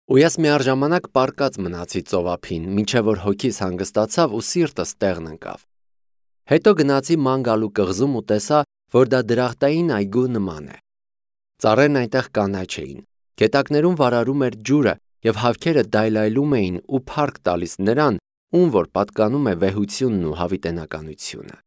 Ու ես միառժամանակ պառկած մնացի ծովափին, մինչև որ հոգիս հանգստացավ ու սիրտս տեղն ընկավ։ Հետո գնացի ման գալու կղզում ու տեսա, որ դա դրախտային այգու նման է։ Ծառերն այնտեղ կանաչ էին, գետակներում վարարում էր ջուրը և հավքերը դայլայլում էին ու փառք տալիս նրան, ում որ պատկանում է վեհությունն ու հավիտենականությունը։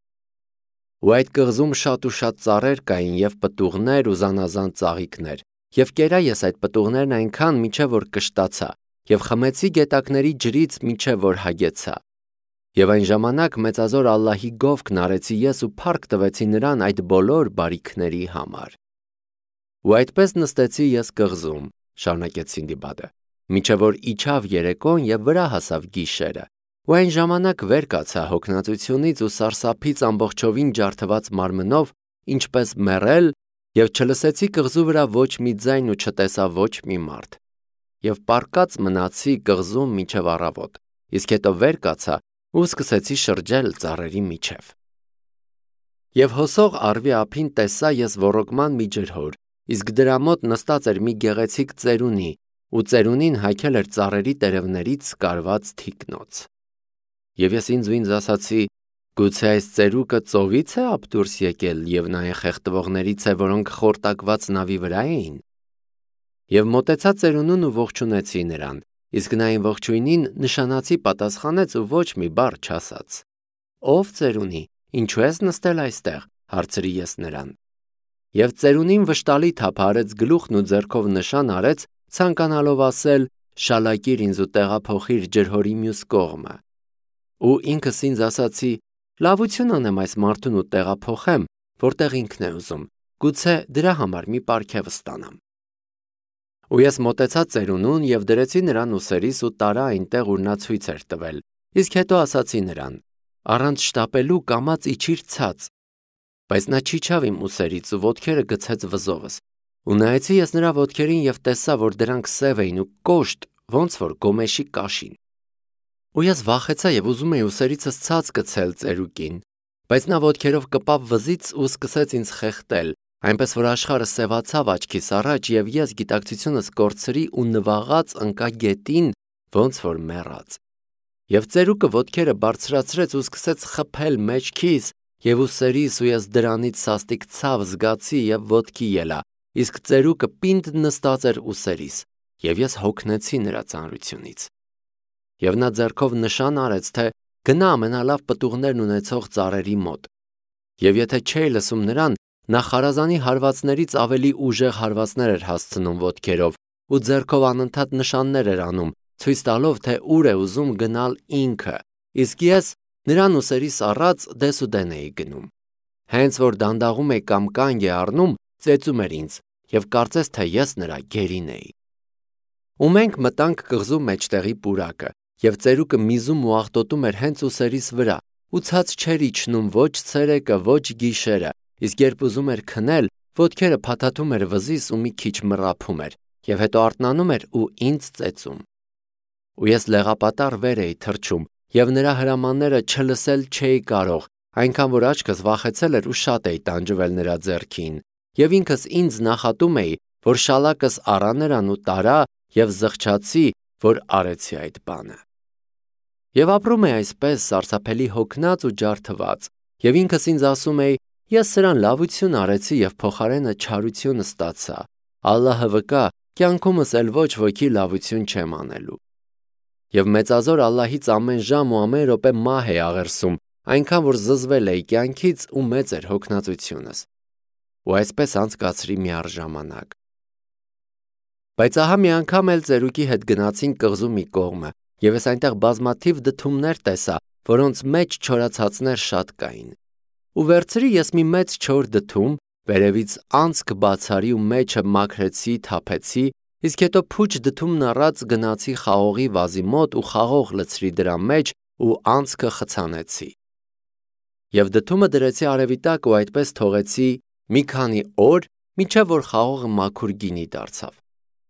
Ու այդ կղզում շատ ու շատ ծառեր կային և պտուղներ ու զանազան ծաղիկներ, և կերա ես այդ պտուղներն այնքան, մինչև որ կշտացա, և խմեցի գետակների ջրից, մինչև որ հագեցա։ Եվ այն ժամանակ մեծազոր Ալլահի գովքն արեցի ես ու փառք տվեցի նրան այդ բոլոր բարիքների համար։ Ու այդպես նստեցի ես կղզում, շարունակեց Սինդբադը, մինչև որ իջավ երեկոն և վրա հասավ գիշերը, ու այն ժամանակ վեր կացա հոգնածությունից ու սարսափից ամբողջովին ջարդված մարմնով, ինչպես մեռել, և չլսեցի կղզու վրա ոչ մի ձայն ու չտեսա ոչ մի մարդ։ Եվ պառկած մնացի կղզում մինչև առավոտ, իսկ հետո վեր կացա ու սկսեցի շրջել ծառերի միջև։ Եվ հոսող առվի ափին տեսա ես ոռոգման մի ջրհոր, իսկ դրա մոտ նստած էր մի գեղեցիկ ծերունի, ու ծերունին հագել էր ծառերի տերևներից կարված թիկնոց։ Եվ ես ինձ ասացի. գուցե այս ծերուկը ծովից է ափ դուրս եկել և նա այն խեղդվողներից է, որոնք խորտակված նավի վրա էին։ Եվ մոտեցա ծերունուն ու ողջունեցի նրան, իսկ նա այն ողջույնին նշանացի պատասխանեց ու ոչ մի բառ չասաց։ Ով ծերունի, ինչու ես նստել այստեղ, հարցրի ես նրան։ Եվ ծերունին վշտալի թափահարեց գլուխն ու ձեռքով նշան արեց, ցանկանալով ասել. շալակիր ինձ ու տեղափոխիր ջրհորի մյուս կողմը։ Ու ինքս ինձ ասացի. լավություն անեմ այս մարդուն ու տեղափոխեմ, որտեղ ինքն է ուզում, գուցե դրա համար մի պարգև ստանամ։ Ու ես մոտեցա ծերունուն և դրեցի նրան ուսերիս ու տարա այնտեղ, ուր նա ցույց էր տվել, իսկ հետո ասացի նրան. առանց շտապելու կամաց իջիր ցած։ Բայց նա չիջավ իմ ուսերից ու ոտքերը գցեց վզովս, ու նայեցի ես նրա ոտքերին և տեսա, որ դրանք սև էին ու կոշտ, ոնց որ գոմեշի կաշին։ Ու ես վախեցա և ուզում էի ուսերիցս ցած գցել ծերուկին, բայց նա ոտքերով կպավ վզից ու սկսեց ինձ խեղդել, այնպես որ աշխարհը սևացավ աչքիս առաջ և ես գիտակցությունս կորցրի ու նվաղած ընկա գետին, ոնց որ մեռած։ Եվ ծերուկը ոտքերը բարձրացրեց ու սկսեց խփել մեջքիս և ուսերիս ու ես դրանից սաստիկ ցավ զգացի և ոտքի ելա, իսկ ծերուկը պինդ նստած էր ուսերիս, և ես հոգնեցի նրա ծանրությունից։ Եվ նա ձեռքով նշան արեց, թե գնա ամենալավ պտուղներն ունեցող ծառերի մոտ։ Եվ եթե չէի լսում նրան, նա խարազանի հարվածներից ավելի ուժեղ հարվածներ էր հասցնում ոտքերով ու ձեռքով անընդհատ նշաններ էր անում, ցույց տալով, թե ուր է ուզում գնալ ինքը, իսկ ես նրան ուսերիս առած դեսուդեն էի գնում։ Հենց որ դանդաղում էի կամ կանգ է առնում, ծեծում էր ինձ և կարծես թե ես նրա գերին էի։ Ու մենք մտանք կղզու մեջտեղի պուրակը, և ծերուկը միզում ու աղտոտում էր հենց ուսերիս վրա, ու ցած չէր իջնում ոչ ցերեկը, ոչ գիշերը, իսկ երբ ուզում էր քնել, ոտքերը փաթաթում էր վզիս ու մի քիչ մռափում էր, և հետո արթնանում էր ու ինձ ծեծում։ Ու ես լեղապատառ վեր էի թռչում, և նրա հրամանները չլսել չէի կարող, այնքան որ աչքս վախեցել էր ու շատ էի տանջվել նրա ձեռքին, և ինքս ինձ նախատում էի, որ շալակս առա նրան ու տարա և զղջացի, որ արեցի այդ բանը։ Եվ ապրում էի այսպես սարսափելի հոգնած ու ջարդված, և ինքս ինձ ասում էի. ես սրան լավություն արեցի և փոխարենը չարություն ստացա, Ալլահը վկա, կյանքումս էլ ոչ ոքի լավություն չեմ անելու։ Եվ մեծազոր Ալլահից ամեն ժամ ու ամեն րոպե մահ էի աղերսում, այնքան որ զզվել էի կյանքից ու մեծ էր հոգնածությունս։ Ու այսպես անցկացրի մի առ ժամանակ։ Բայց ահա մի անգամ էլ ծերուկի հետ գնացինք կղզու մի կողմը, և ես այնտեղ բազմաթիվ դդումներ տեսա, որոնց մեջ չորացածներ շատ կային։ Ու վերցրի ես մի մեծ չոր դդում, վերևից անցք բացարի ու մեջը մաքրեցի, թափեցի, իսկ հետո փուչ դդումն առած գնացի խաղողի վազի մոտ ու խաղող լցրի դրա մեջ ու անցքը խցանեցի։ Եվ դդումը դրեցի արևի տակ ու այդպես թողեցի մի քանի օր, մինչև որ խաղողը մաքուր գինի դարձավ։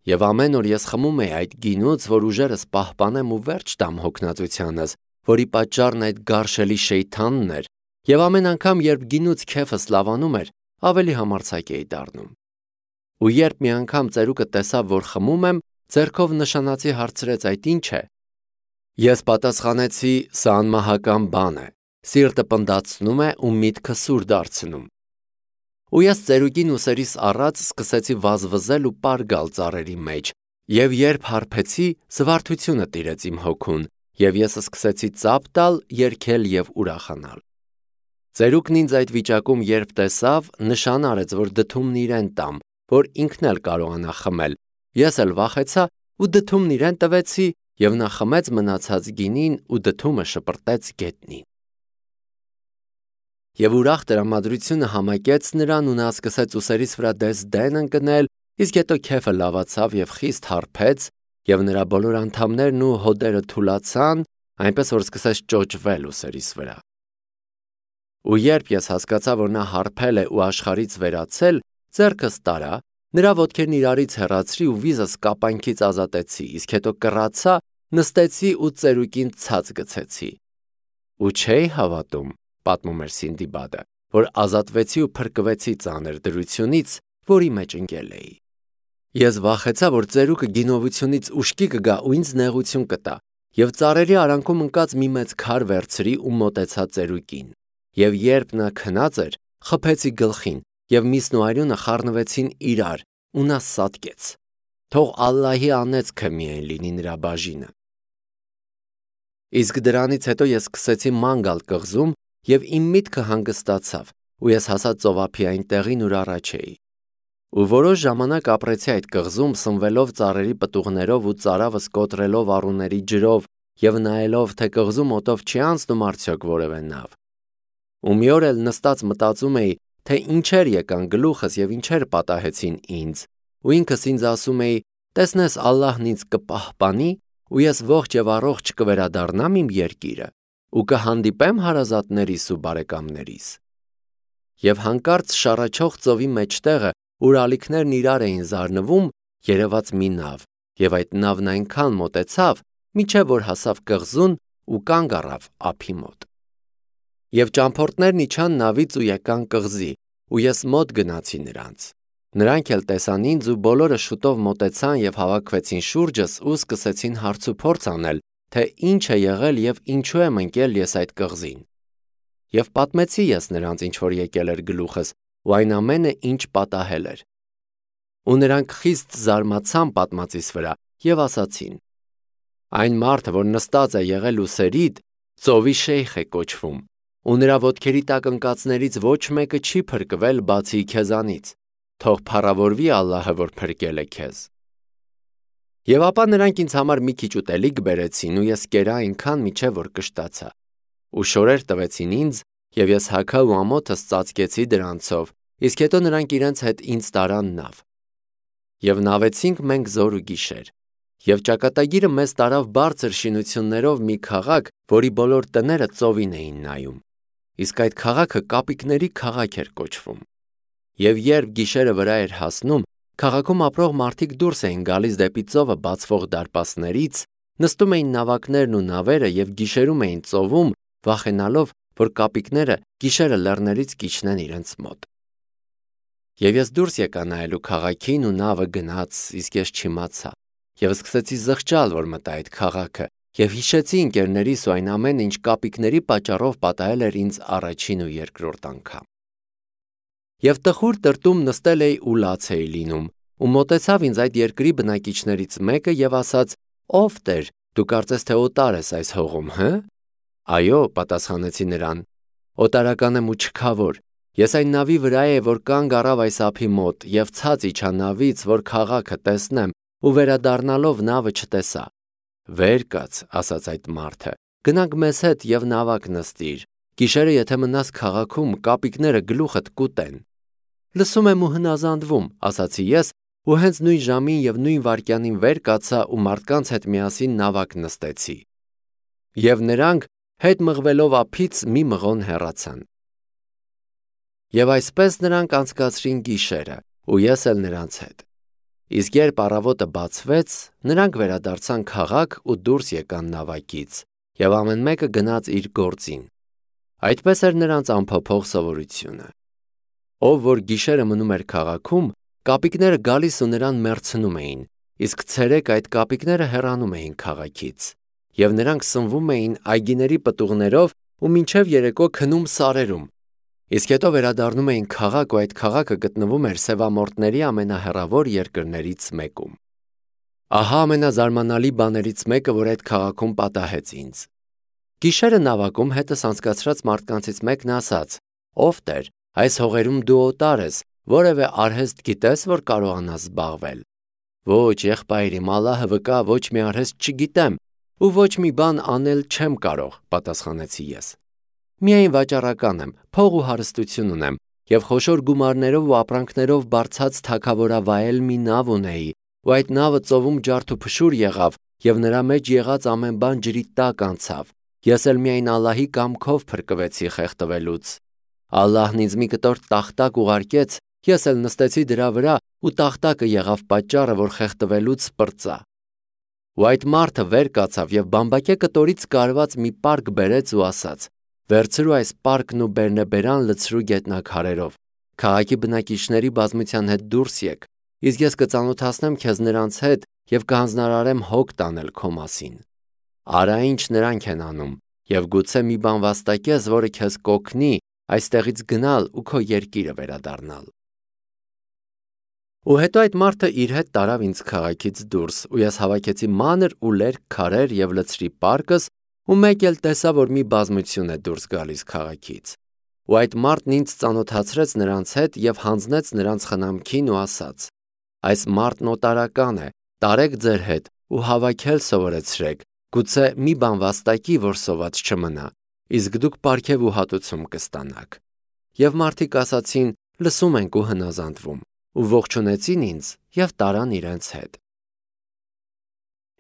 Եվ ամեն օր ես խմում էի այդ գինուց, որ ուժերս պահպանեմ ու վերջ տամ հոգնածությանս, որի պատճառն այդ գարշելի շեյթանն էր, և ամեն անգամ, երբ գինուց քեֆս լավանում էր, ավելի համարձակ էի դառնում։ Ու երբ մի անգամ ծերուկը տեսավ, որ խմում եմ, ձեռքով նշանացի հարցրեց այդ ինչ է։ Ես պատասխանեցի, սա անմահական բան է, սիրտը պնդացնում է ու միտքը սուր դարձնում։ Ու ես ծերուկին ուսերիս առած սկսեցի վազվզել ու պարգալ ծառերի մեջ, եւ երբ հարբեցի, զվարթությունը տիրեց իմ հոգուն, եւ ես սկսեցի ծափ տալ, երգել եւ ուրախանալ։ Ծերուկն ինձ այդ վիճակում երբ տեսավ, նշան արեց, որ դդումն իրեն տամ, որ ինքն էլ կարողանա խմել։ Ես էլ վախեցա ու դդումն իրեն տվեցի, եւ նա խմեց մնացած գինին ու դդումը շպրտեց գետնին։ Եվ ուրախ տրամադրությունը համակեց նրան ու նա սկսեց ուսերիս վրա դես-դեն ընկնել, իսկ հետո քեֆը լավացավ եւ խիստ հարբեց, եւ նրա բոլոր անդամներն ու հոդերը թուլացան, այնպես որ սկսեց ճոճվել ուսերիս վրա։ Ու երբ ես հասկացա, որ նա հարբել է ու աշխարից վերացել, ձեռքս տարա, նրա ոտքերն իրարից հեռացրի ու վիզս կապանքից ազատեցի, իսկ հետո կռացա, նստեցի ու ծերուկին ցած գցեցի։ Ու չէի հավատում, պատմում էր Սինդիբադը, որ ազատվեցի ու փրկվեցի ծանր դրությունից, որի մեջ ընկել էի։ Ես վախեցա, որ ծերուկը գինովությունից ուշքի կգա ու ինձ նեղություն կտա, եւ ծառերի արանքում ընկած մի մեծ քար վերցրի ու մոտեցա ծերուկին։ Եվ երբ նա քնած էր, խփեցի գլխին, եւ միսն ու արյունը խառնվեցին իրար, ու նա սատկեց։ Թող Ալլահի անեծքը միայն լինի նրա բաժինը։ Իսկ դրանից հետո ես սկսեցի ման գալ կղզում, եւ իմ միտքը հանգստացավ, ու ես հասա ծովափիային տեղին, ուր առաջ էի։ Ու որոշ ժամանակ ապրեցի այդ կղզում, սնվելով ծառերի պտուղներով ու ծարավս կոտրելով առուների ջրով եւ նայելով, թե կղզում օդով չի անցնում արդյոք որևէ նավ։ Ու մի օր էլ նստած մտածում էի, թե ինչեր եկան գլուխս եւ ինչեր պատահեցին ինձ, ու ինքս ինձ ասում էի, տեսնես Ալլահն ինձ կպահպանի, ու ես ողջ եւ առողջ կվերադառնամ իմ երկիրը, ու կհանդիպեմ հարազատներիս ու բարեկամներիս։ Եվ հանկարծ շառաչող ծովի մեջտեղը, ուր ալիքներն իրար էին զարնվում, երևաց մի նավ, եւ այդ նավն այնքան մոտեցավ, մինչեւ որ հասավ կղզուն ու կանգ առավ ափի մոտ։ Եվ ճամփորդներն իջան նավից ու եկան կղզի, ու ես մոտ գնացի նրանց։ Նրանք էլ տեսան ինձ ու բոլորը շուտով մոտեցան եւ հավաքվեցին շուրջս ու սկսեցին հարց ու փորձ անել, թե ինչ է եղել եւ ինչու եմ ընկել ես այդ կղզին։ Եվ պատմեցի ես նրանց, ինչ որ եկել էր գլուխս, ու այն ամենը, ինչ պատահել էր։ Ու նրանք խիստ զարմացան պատմածիս վրա եւ ասացին. այն մարդը, որ նստած է եղել ուսերիդ, ծովի շեյխ է կոչվում, ու նրա ոտքերի տակ ընկածներից ոչ մեկը չի փրկվել բացի քեզանից, թող փառավորվի Ալլահը, որ փրկել է քեզ։ Եվ ապա նրանք ինձ համար մի քիչ ուտելիք բերեցին, ու ես կերա այնքան մինչև որ կշտացա։ Ու շորեր տվեցին ինձ, եւ ես հագա ու ամոթս ծածկեցի դրանցով, իսկ հետո նրանք իրենց հետ ինձ տարան նավ։ Եվ նավեցինք մենք զոր ու գիշեր։ Եվ ճակատագիրը մեզ տարավ բարձր շինություններով մի քաղաք, որի բոլոր տները ծովին էին նայում։ Իսկ այդ քաղաքը կապիկների քաղաք էր կոչվում։ Եվ երբ գիշերը վրա էր հասնում, քաղաքում ապրող մարդիկ դուրս էին գալիս դեպի ծովը բացվող դարպասներից, նստում էին նավակներն ու նավերը եւ գիշերում էին ծովում, վախենալով, որ կապիկները գիշերը լեռներից կիջնեն իրենց մոտ։ Եվ ես դուրս եկա նայելու քաղաքին ու նավը գնաց, իսկ ես չիմացա։ Եվ սկսեցի զղջալ, որ մտա այդ քաղաքը, եւ հիշեցի ընկերներիս ու այն ամենը, ինչ կապիկների պատճառով պատահել էր ինձ առաջին ու երկրորդ անգամ։ Եվ տխուր տրտում նստել էի ու լաց էի լինում, ու մոտեցավ ինձ այդ երկրի բնակիչներից մեկը եւ ասաց. «Ով Տեր, դու կարծես թե օտար ես այս հողում, հը»։ «Այո», պատասխանեցի նրան, «օտարական եմ ու չքավոր։ Ես այն նավի վրա եմ, որ կանգ առավ այս ափի մոտ, եւ ցած իջա նավից, որ քաղաքը տեսնեմ, ու վերադառնալով նավը չտեսա»։ «Վեր կաց», ասաց այդ մարդը, «գնանք մեզ հետ եւ նավակ նստիր։ Գիշերը եթե մնաս քաղաքում, կապիկները գլուխդ կուտեն»։ «Լսում եմ ու հնազանդվում», ասացի ես, ու հենց նույն ժամին եւ նույն վայրկյանին վեր կացա ու մարդկանց հետ միասին նավակ նստեցի։ Եվ նրանք հետ մղվելով ափից մի մղոն հեռացան։ Եվ այսպես նրանք անցկացրին գիշերը, ու ես էլ նրանց հետ։ Իսկ երբ առավոտը բացվեց, նրանք վերադարձան քաղաք ու դուրս եկան նավակից, եւ ամեն մեկը գնաց իր գործին։ Այդպես էր նրանց անփոփոխ սովորությունը։ Ով որ գիշերը մնում էր քաղաքում, կապիկները գալիս ու նրան մեռցնում էին, իսկ ցերեկ այդ կապիկները հեռանում էին քաղաքից, եւ նրանք սնվում էին այգիների պտուղներով ու մինչև երեկո քնում սարերում, իսկ հետո վերադառնում էին քաղաք ու այդ քաղաքը գտնվում էր սևամորտների ամենահեռավոր երկրներից մեկում։ Ահա ամենազարմանալի բաներից մեկը, որ այդ քաղաքում պատահեց ինձ։ Գիշերը նավակում հետս անցկացրած մարդկանցից մեկն ասաց. «Ով Տեր, այս հողերում դու օտար ես, որևէ արհեստ գիտես, որ կարողանաս զբաղվել»։ «Ոչ, եղբայր իմ, Ալլահը վկա, ոչ մի արհեստ չգիտեմ ու ոչ մի բան անել չեմ կարող», պատասխանեցի ես։ «Միայն վաճառական եմ, փող ու հարստություն ունեմ եւ խոշոր գումարներով ու ապրանքներով բարձած թագավորավայել մի նավ ունեի, ու այդ նավը ծովում ջարդ ու փշուր եղավ եւ նրա մեջ եղած ամեն բան ջրի տակ անցավ։ Ես էլ միայն Ալլահի կամքով փրկվեցի խեղդվելուց։ Ալլահն ինձ մի կտոր տախտակ ուղարկեց, ես էլ նստեցի դրա վրա ու տախտակը եղավ պատճառը, որ խեղդվելուց պրծա»։ Ու այդ մարդը վեր կացավ եւ բամբակե կտորից կարված մի պարկ բերեց ու ասաց. «Վերցրու այս պարկն ու բերնեբերան լցրու գետնաքարերով, քաղաքի բնակիչների բազմության հետ դուրս եկ, իսկ ես կծանոթացնեմ քեզ նրանց հետ եւ կհանձնարարեմ հոգ տանել քո մասին։ Արա ինչ նրանք են անում եւ գուցե մի բան վաստակես, որը քեզ կօգնի այստեղից գնալ ու քո երկիրը վերադառնալ»։ Ու հետո այդ մարդը իր հետ տարավ ինձ քաղաքից դուրս, ու ես հավաքեցի մանր ու լերկ քարեր եւ լցրի պարկս, ու մեկ էլ տեսա, որ մի բազմություն է դուրս գալիս քաղաքից։ Ու այդ մարդն ինձ ծանոթացրեց նրանց հետ եւ հանձնեց նրանց խնամքին ու ասաց. «Այս մարդն օտարական է, տարեք ձեր հետ ու հավաքել սովորեցրեք, գուցե մի բան վաստակի, որ սոված չմնա, իսկ դուք պարգև ու հատուցում կստանաք»։ Եվ մարդիկ ասացին. «Լսում ենք ու հնազանդվում», ու ողջունեցին ինձ եւ տարան իրենց հետ։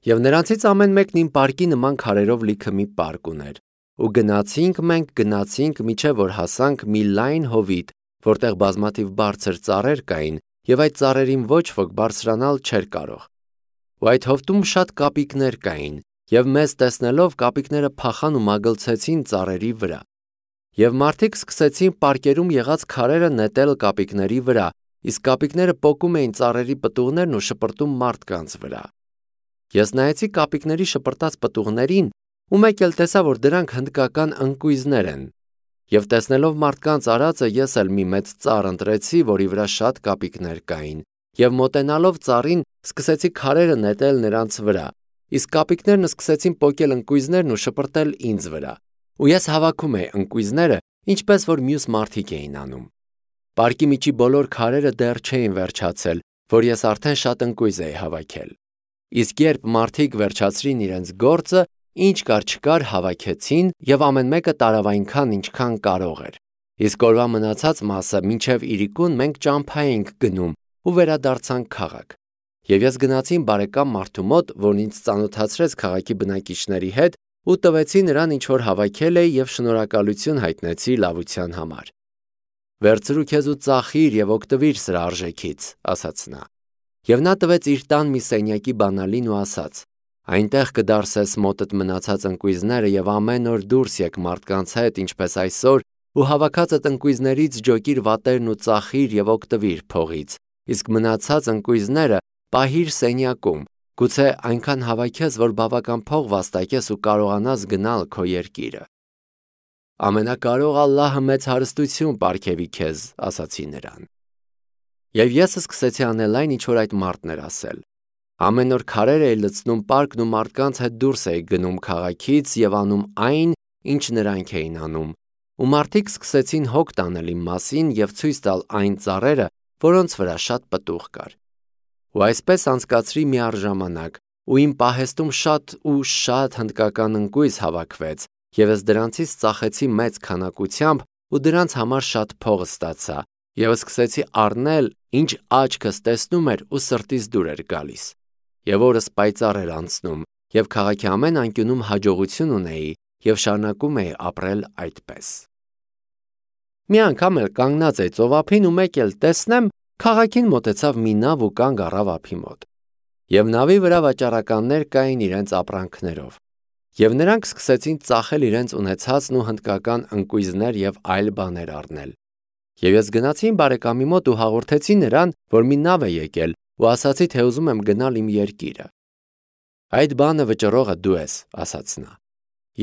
Եվ նրանցից ամեն մեկն իմ պարկի նման քարերով լիքը մի պարկ ուներ, ու գնացինք միջև որ հասանք մի լայն հովիտ, որտեղ բազմաթիվ բարձր ծառեր կային, եւ այդ ծառերին ոչ ոք բարձրանալ չէր կարող։ Ու այդ հովտում շատ կապիկներ կային, եւ մեզ տեսնելով կապիկները փախան ու մագլցեցին ծառերի վրա։ Եվ մարդիկ սկսեցին պարկերում եղած քարերը նետել կապիկների վրա, իսկ կապիկները պոկում էին ծառերի պտուղներն ու շպրտում մարդկանց վրա։ Ես նայեցի կապիկների շպրտած պտուղներին ու մեկ էլ տեսա, որ դրանք հնդկական ընկույզներ են։ Եվ տեսնելով մարդկանց արածը, ես էլ մի մեծ ծառ ընտրեցի, որի վրա շատ կապիկներ կային, եւ մոտենալով ծառին սկսեցի քարերը նետել նրանց վրա, իսկ կապիկներն սկսեցին պոկել ընկույզներն ու շպրտել ինձ վրա։ Ու ես հավաքում էի ընկույզները, ինչպես որ մյուս մարդիկ էին անում։ Պարկի միջի բոլոր քարերը դեռ չէին վերջացել, որ ես արդեն շատ ընկույզ էի հավաքել։ Իսկ երբ մարդիկ վերջացրին իրենց գործը, ինչ կար չկար հավաքեցին եւ ամեն մեկը տարավ այնքան, ինչքան կարող էր։ Իսկ օրվա մնացած մասը մինչև իրիկուն մենք ճամփա էինք գնում ու վերադարձանք քաղաք։ Եվ ես գնացի իմ բարեկամ մարդու մոտ, որն ինձ ծանոթացրեց քաղաքի բնակիչների հետ ու տվեցի նրան ինչ որ հավաքել էի եւ շնորհակալություն հայտնեցի լավության համար։ «Վերցրու քեզ ու ծախիր եւ օգտվիր սրա արժեքից», ասաց նա։ Եվ նա տվեց իր տան մի սենյակի բանալին ու ասաց. «Այնտեղ կդարսես մոտդ մնացած ընկույզները եւ ամեն օր դուրս եկ մարդկանց հետ, ինչպես այսօր, ու հավաքածդ ընկույզներից ջոկիր վատերն ու ծախիր եւ օգտվիր փողից, իսկ մնացած ընկույզները պահիր սենյակում, գուցե այնքան հավաքես, որ բավական փող վաստակես ու կարողանաս գնալ քո երկիրը»։ «Ամենակարող Ալլահը մեծ հարստություն պարգևի քեզ», ասացի նրան։ Եվ ես սկսեցի անել այն, ինչ որ այդ մարդն էր ասել։ Ամեն օր քարեր էի լցնում պարկն ու մարդկանց հետ դուրս էի գնում քաղաքից եւ անում այն, ինչ նրանք էին անում։ Ու մարդիկ սկսեցին հոգ տանել իմ մասին եւ ցույց տալ այն ծառերը, որոնց վրա շատ պտուղ կար։ Ու այսպես անցկացրի մի առժամանակ, ու իմ պահեստում շատ հնդկական ընկույզ հավաքվեց, եւ ես դրանցից ծախեցի մեծ քանակությամբ ու դրանց համար շատ փող ստացա, եւ սկսեցի առնել, ինչ աչքս տեսնում էր ու սրտիս դուր էր գալիս։ Եվ օրս պայծառ էր անցնում, եւ քաղաքի ամեն անկյունում հաջողություն ունեի եւ շարունակում էի ապրել այդպես։ Մի անգամ էլ կանգնած էի ծովափին ու մեկ էլ տեսնեմ, քաղաքին մոտեցավ մի նավ ու կանգ առավ ափի մոտ։ Եվ նավի վրա վաճառականներ կային իրենց ապրանքներով։ Եվ նրանք սկսեցին ծախել իրենց ունեցածն ու հնդկական ընկույզներ եւ այլ բաներ առնել։ Եվ ես գնացի իմ բարեկամի մոտ ու հաղորդեցի նրան, որ մի նավ է եկել ու ասացի, թե ուզում եմ գնալ իմ երկիրը։ Այդ բանը վճռողը դու ես, ասաց նա։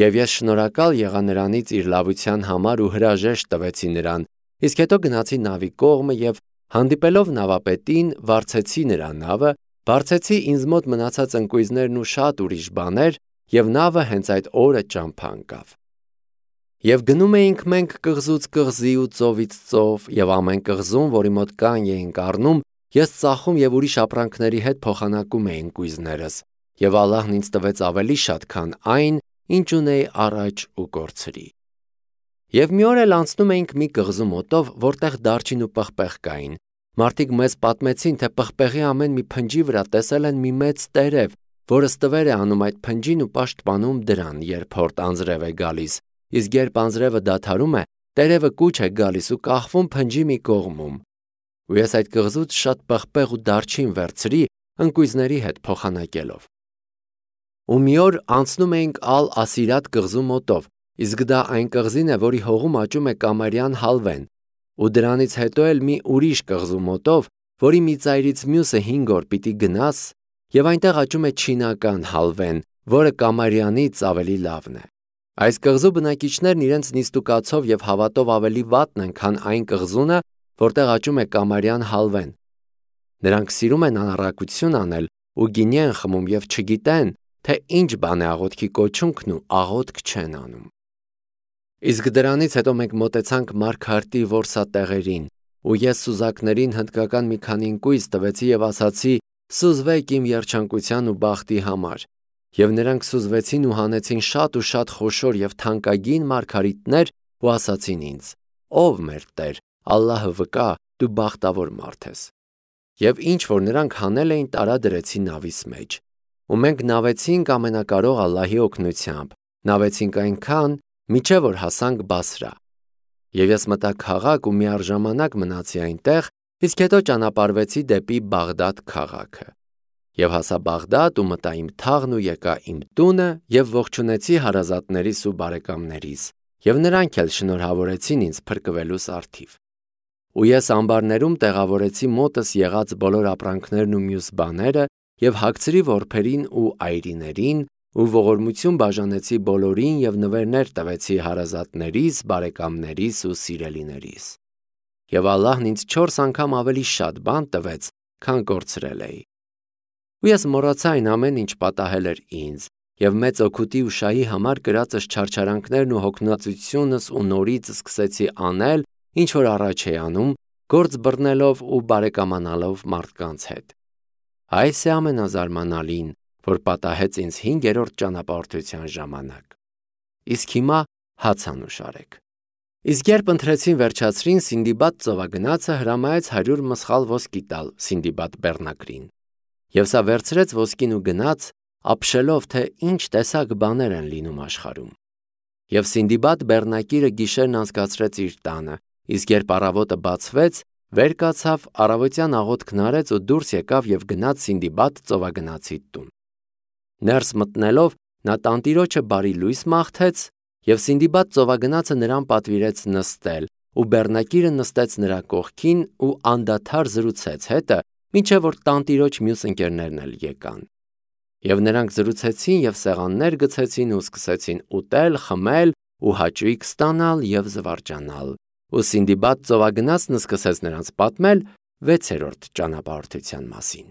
Եվ ես շնորհակալ եղա նրանից իր լավության համար ու հրաժեշտ տվեցի նրան, իսկ հետո գնացի նավի կողմը եւ հանդիպելով նավապետին, վարձեցի նրա նավը, բարձեցի ինձ մոտ մնացած ընկույզներն ու շատ ուրիշ բաներ, եւ նավը հենց այդ օրը ճամփա ընկավ։ Եվ գնում էինք մենք կղզուց կղզի ու ծովից ծով, եւ ամեն կղզում, որի մոտ կան էինք առնում, ես ծախում եւ ուրիշ ապրանքների հետ փոխանակում էի ընկույզներս, եւ Ալլահն ինձ տվեց ավելի շատ, քան այն, ինչ ունեի առաջ ու կորցրի։ Եվ մի օր էլ անցնում էինք մի կղզու մոտով, որտեղ դարչին ու պղպեղ կային։ Մարդիկ մեզ պատմեցին, թե պղպեղի ամեն մի փնջի վրա տեսել են մի մեծ տերև, որը ստվեր է անում այդ փնջին ու պաշտպանում դրան, երբ հորտ անձրև է գալիս, իսկ երբ անձրևը դադարում է, տերևը կուչ է գալիս ու կախվում փնջի մի կողմում։ Ու ես այդ կղզուց շատ պղպեղ ու դարչին վերցրի, ընկույզների հետ փոխանակելով։ Ու մի օր անցնում էինք Ալ-Ասիրատ կղզու մոտով, իսկ դա այն կղզին է, որի հողում աճում է կամարյան հալվեն, ու դրանից հետո էլ մի ուրիշ կղզու մոտով, որի մի ծայրից մյուսը 5 օր պիտի գնաս, եւ այնտեղ աճում է չինական հալվեն, որը կամարյանից ավելի լավն է։ Այս կղզու բնակիչներն իրենց նիստուկացով եւ հավատով ավելի վատն են, քան այն կղզունը, որտեղ աճում է կամարյան հալվեն։ Նրանք սիրում են անառակություն անել ու գինի են խմում եւ չգիտեն, թե ինչ բան է աղոթքի կոչունքն ու աղոթք չեն անում։ Իսկ դրանից հետո մենք մոտեցանք Մարգարտի որսատեղերին, ու ես սուզակներին հնդկական մի քանի ընկույզ տվեցի եւ ասացի. «Սուզվեք իմ երջանկության ու բախտի համար»։ Եվ նրանք սուզվեցին ու հանեցին շատ ու շատ խոշոր եւ թանկագին մարգարիտներ ու ասացին ինձ. «Ով մեր Տեր, Ալլահը վկա, դու բախտավոր մարդ ես»։ Եվ ինչ որ նրանք հանել էին, տարադրեցին նավիս մեջ։ Ու մենք նավեցինք ամենակարող Ալլահի օգնությամբ, նավեցինք այնքան, մինչև որ հասանք Բասրա։ Եվ ես մտա քաղաք ու միառժամանակ մնացի այնտեղ, իսկ հետո ճանապարհվեցի դեպի Բաղդադ քաղաքը։ Եվ հասա Բաղդադ ու մտա իմ թաղն ու եկա իմ տունը եւ ողջունեցի հարազատներիս ու բարեկամներիս, եւ նրանք էլ շնորհավորեցին ինձ փրկվելուս արդիվ։ Ու ես ամբարներում տեղավորեցի մոտս եղած բոլոր ապրանքներն ու մյուս բաները եւ հագցրի որբերին ու այրիներին ու ողորմություն բաժանեցի բոլորին եւ նվերներ տվեցի հարազատներիս, բարեկամներիս ու սիրելիներիս։ Եվ Ալլահն ինձ 4 անգամ ավելի շատ բան տվեց, քան կորցրել էի։ Ու ես մոռացա այն ամեն ինչ պատահել էր ինձ, եւ մեծ օգուտի ու շահի համար կրածս չարչարանքներն ու հոգնածությունս ու նորից սկսեցի անել, ինչ որ առաջ էի անում, գործ բռնելով ու բարեկամանալով մարդկանց հետ։ Այս է ամենազարմանալին, որ պատահեց ինձ 5-րդ ճանապարհորդության ժամանակ։ Իսկ հիմա հաց անուշարեք։ Իսկ երբ ընթրեցին վերջացրին, Սինդիբադ ծովագնացը հրամայեց 100 մսխալ ոսկի տալ Սինդիբադ բեռնակրին։ Եվ սա վերցրեց ոսկին ու գնաց, ապշելով, թե ինչ տեսակ բաներ են լինում աշխարհում։ Եվ Սինդիբադ բեռնակիրը գիշերն անցկացրեց իր տանը, իսկ երբ առավոտը բացվեց, վեր կացավ, առավոտյան աղոթքն արեց ու դուրս եկավ եւ գնաց Սինդիբադ ծովագնացի տուն։ Ներս մտնելով, նա տանտիրոջը բարի լույս մաղթեց, եւ Սինդիբադ ծովագնացը նրան պատվիրեց նստել, ու բեռնակիրը նստեց նրա կողքին ու անդադար զրուցեց հետը, մինչև որ տանտիրոջ մյուս ընկերներն էլ եկան։ Եվ նրանք զրուցեցին եւ սեղաններ գցեցին ու սկսեցին ուտել, խմել ու հաճույք ստանալ եւ զվարճանալ։ Ու Սինդիբադ ծովագնացն սկսեց նրանց պատմել 6-րդ ճանապարհորդության մասին։